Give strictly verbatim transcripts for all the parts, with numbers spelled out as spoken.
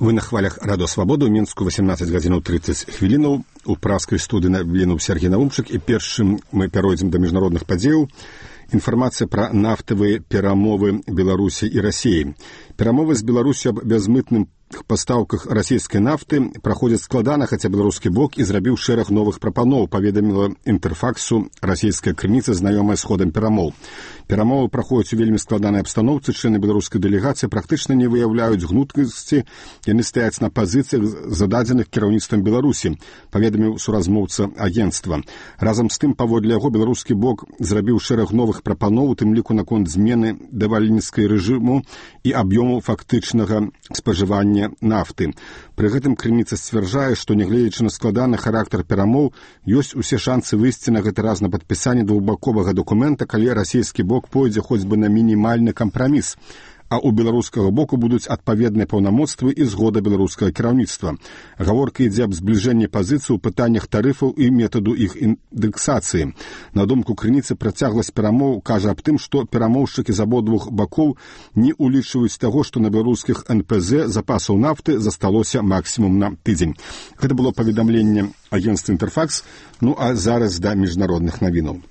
Вы на хвалях Радо Свабоду, Мінску, восемнадцать гадзінаў тридцать хвілінаў, у праскай студыі навінуў Сергей Навумчык, і першым мы пяройдзем да міжнародных падзеяў. Інфармацыя пра нафтавыя перамовы Беларусі і Расіі. Перамовы з Беларусю аб бязмытным пастаўках расійскай нафты праходзяць складана, хаця беларускі бок і зрабіў шэраг новых прапаноў, паведаміла Інтэрфаксу расійская крыніца, знаёмая з ходам перамоў. Перамовы праходзяць у вельмі складанай абстаноўцы, члены беларускай дэлегацыі практычна не выяўляюць гнуткасці, яны стаяць на пазіцыях, зададзеных кіраўніцтвам Беларусі, паведаміў суразмоўца агенцтва. Разам з тым, паводле яго, беларускі бок зрабіў шэраг новых прапаноў, у тым ліку наконт змены давальніцкай рэжыму і аб'ёму фактычнага спажывання нафты. Пры гэтым крыніца сцвярджае, што, нягледзячы на складаны характар перамоў, ёсць усе шанцы выйсці на гэты раз на падпісанне двухбаковага дакумента, калі расійскі бок пойдзе хоць бы на мінімальны кампраміс, а у беларускага боку будуць адпаведныя паўнамоцтвы і згода беларускага кіраўніцтва. Гаворка ідзе аб збліжэнні пазіцый у пытаннях тарыфаў і метаду іх індэксацыі. На думку крыніцы, працягласць перамоў кажа аб тым, што перамоўшчыкі з абодвух бакоў не улічваюць таго, што на беларускіх эн пэ зэ запасаў нафты засталося максімум на тыдзень. Гэта было паведамленне агенцтва Інтэрфакс, ну а зараз да міжнародных навінаў.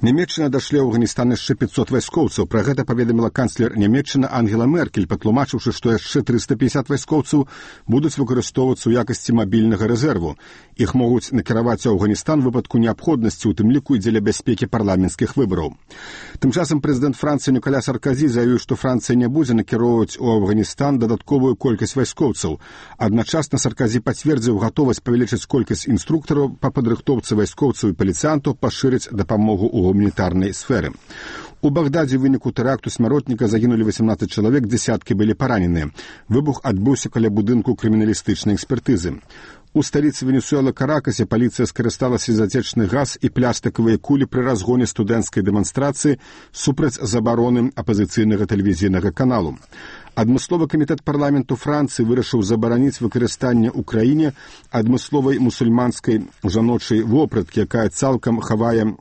Нямецчына дашле ў Афганістан яшчэ пятьсот вайскоўцаў. Пра гэта паведаміла канцлер Нямецчына Ангела Меркель, патлумачыўшы, што яшчэ трыста пятьдесят вайскоўцаў будуць выкарыстоўвацца ў якасці мабільнага рэзерву. Іх могуць накіраваць у Афганістан у выпадку неабходнасці, у тым ліку і дзеля бяспекі парламенцкіх выбараў. Тым часам прэзідэнт Францыі Ніколя Сарказі заявіў, што Францыя не будзе накіроўваць у Афганістан дадатковую колькасць вайскоўцаў. Адначасна Сарказі пацвердзіў гатовасць павялічыць колькасць інструктараў па падрыхтоўцы вайскоўцаў і паліцыянтаў, пашырыць дапамогу ў гуманітарнай сферы. У Багдадзе ў выніку тэракту смяротніка загінулі восемнадцать чалавек, дзесяткі былі параненыя. Выбух адбыўся каля будынку крыміналістычнай экспертызы. У сталіцы Венесуэлы Каракасе паліцыя скарысталася затечны газ і плястыкавыя кулі пры разгоне студэнцкай дэманстрацыі супраць забароны апазіцыйнага тэлевізійнага каналу. Адмысловы камітэт парламенту Францыі вырашыў забараніць выкарыстанне ў краіне адмысловай мусульманскай жаночай вопраткі, якая цалкам хавае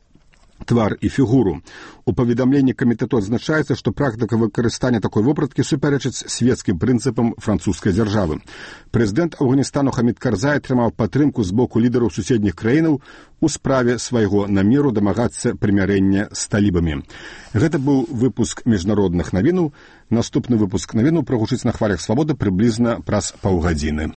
твар і фігуру. У паведамленні камітэту адзначаецца, што практыка выкарыстання такой вопраткі супярэчыць свецкім прынцыпам французскай дзяржавы. Прэзідэнт Афганістану Хамід Карзай атрымаў падтрымку з боку лідараў суседніх краінаў у справе свайго намеру дамагацца прымірэння з талібамі. Гэта быў выпуск міжнародных навінаў. Наступны выпуск навінаў прагучыць на хвалях Свабоды прыблізна праз паўгадзіны.